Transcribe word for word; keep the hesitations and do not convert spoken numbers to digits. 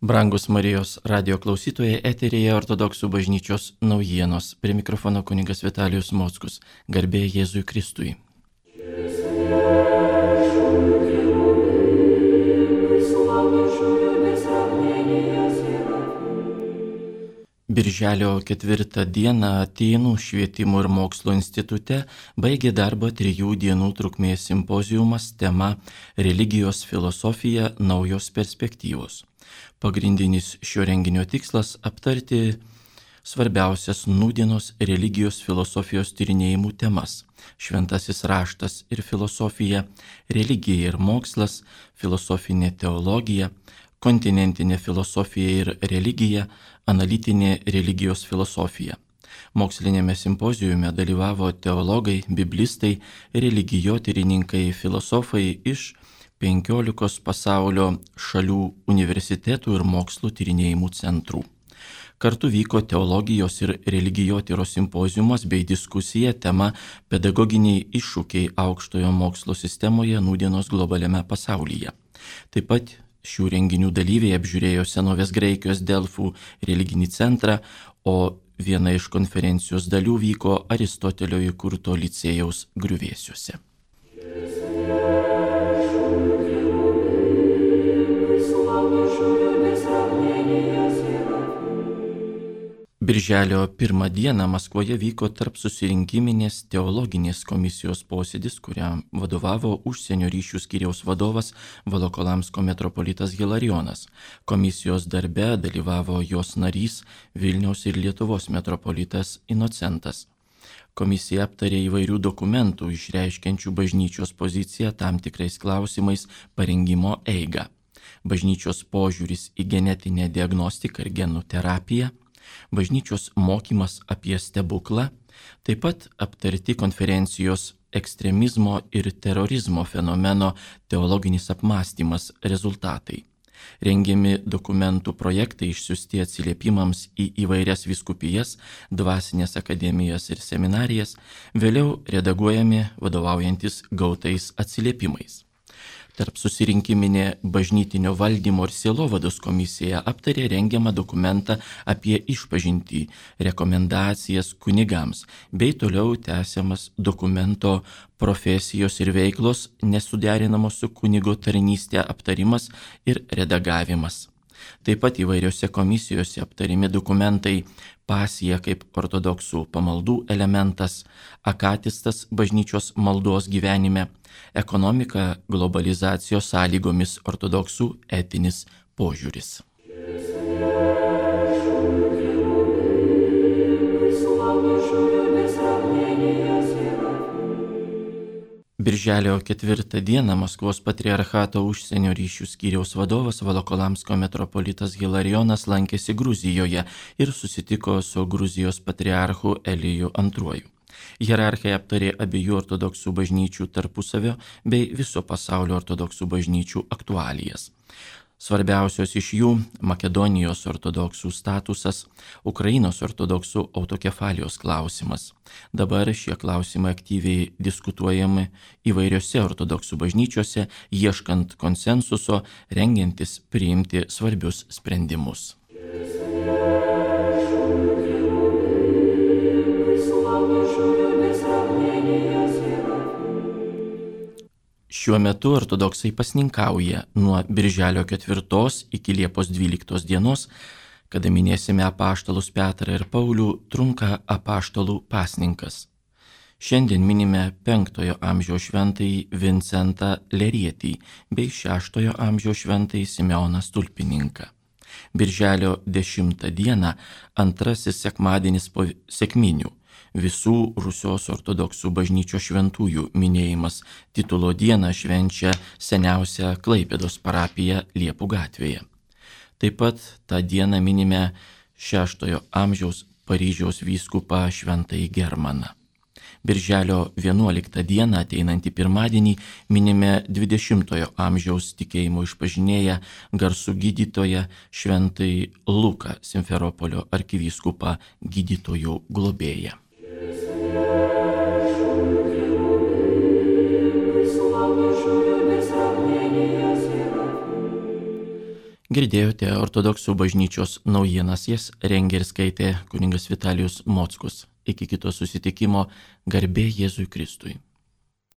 Brangus Marijos radio klausytojai, eteryje Ortodoksų bažnyčios naujienos. Prie mikrofono kunigas Vitalijus Mockus. Garbė Jėzui Kristui. Birželio ketvirtą dieną Atėnų švietimo ir mokslo institute baigė darbą trijų dienų trukmės simpoziumas tema Religijos filosofija – naujos perspektyvos. Pagrindinis šio renginio tikslas – aptarti svarbiausias nūdienos religijos filosofijos tyrinėjimų temas – šventasis raštas ir filosofija, religija ir mokslas, filosofinė teologija, kontinentinė filosofija ir religija, analitinė religijos filosofija. Mokslinėme simpozijume dalyvavo teologai, biblistai, religijotyrininkai, filosofai iš penkiolikos pasaulio šalių universitetų ir mokslo tyrinėjimų centrų. Kartu vyko teologijos ir religijotyros simpoziumas bei diskusija tema pedagoginiai iššūkiai aukštojo mokslo sistemoje nūdienos globaliame pasaulyje. Taip pat šių renginių dalyviai apžiūrėjo senovės Graikijos Delfų religinį centrą, o viena iš konferencijos dalių vyko Aristotelio įkurto licėjaus griuvėsiuose. Birželio pirmą dieną Maskvoje vyko tarp susirinkiminės teologinės komisijos posėdis, kuriam vadovavo užsienio ryšių skyriaus vadovas Volokolamsko metropolitas Hilarijonas. Komisijos darbe dalyvavo jos narys Vilniaus ir Lietuvos metropolitas Inocentas. Komisija aptarė įvairių dokumentų išreiškiančių bažnyčios poziciją tam tikrais klausimais parengimo eigą. Bažnyčios požiūris į genetinę diagnostiką ir genų terapiją, bažnyčios mokymas apie stebuklą, taip pat aptarti konferencijos ekstremizmo ir terorizmo fenomeno teologinis apmąstymas rezultatai. Rengiami dokumentų projektai išsiųsti atsiliepimams į įvairias vyskupijas, dvasinės akademijas ir seminarijas, vėliau redaguojami vadovaujantis gautais atsiliepimais. Tarp susirinkiminė bažnytinio valdymo ir sielovados komisija aptarė rengiamą dokumentą apie išpažintį, rekomendacijas kunigams, bei toliau tęsiamas dokumento profesijos ir veiklos nesuderinamos su kunigo tarnystė aptarimas ir redagavimas. Taip pat įvairiose komisijose aptarimi dokumentai pasija kaip ortodoksų pamaldų elementas, akatistas bažnyčios maldos gyvenime, ekonomika globalizacijos sąlygomis ortodoksų etinis požiūris. Birželio ketvirtą dieną Maskvos patriarchato užsienio ryšių skyriaus vadovas Volokolamsko metropolitas Hilarijonas lankėsi Gruzijoje ir susitiko su Gruzijos patriarchu Eliju antruoju. Hierarchai aptarė abiejų ortodoksų bažnyčių tarpusavio bei viso pasaulio ortodoksų bažnyčių aktualijas. Svarbiausios iš jų – Makedonijos ortodoksų statusas, Ukrainos ortodoksų autokefalijos klausimas. Dabar šie klausimai aktyviai diskutuojami įvairiose ortodoksų bažnyčiose, ieškant konsensuso, rengiantis priimti svarbius sprendimus. Šiuo metu ortodoksai pasninkauja nuo birželio ketvirtos iki Liepos dvyliktos dienos, kada minėsime apaštalus Petrą ir Paulių, trunka apaštalų pasninkas. Šiandien minime penktojo amžiaus šventąjį Vincentą Lerietį bei šeštojo amžiaus šventąjį Simeoną Stulpininką. Birželio dešimtą dieną antrasis sekmadienis po sekminių. Visų Rusios ortodoksų bažnyčios šventųjų minėjimas titulo dieną švenčia seniausia Klaipėdos parapija Liepų gatvėje. Taip pat tą dieną minime šeštojo amžiaus Paryžiaus vyskupą šventąjį Germaną. Birželio vienuoliktą dieną ateinantį pirmadienį minime dvidešimtojo amžiaus tikėjimo išpažinėją garsų gydytoją šventąjį Luką Simferopolio arkivyskupą gydytojų globėją. Girdėjote ortodoksų bažnyčios naujienas, jas rengė ir skaitė kunigas Vitalijus Mockus. Iki kito susitikimo, garbė Jėzui Kristui.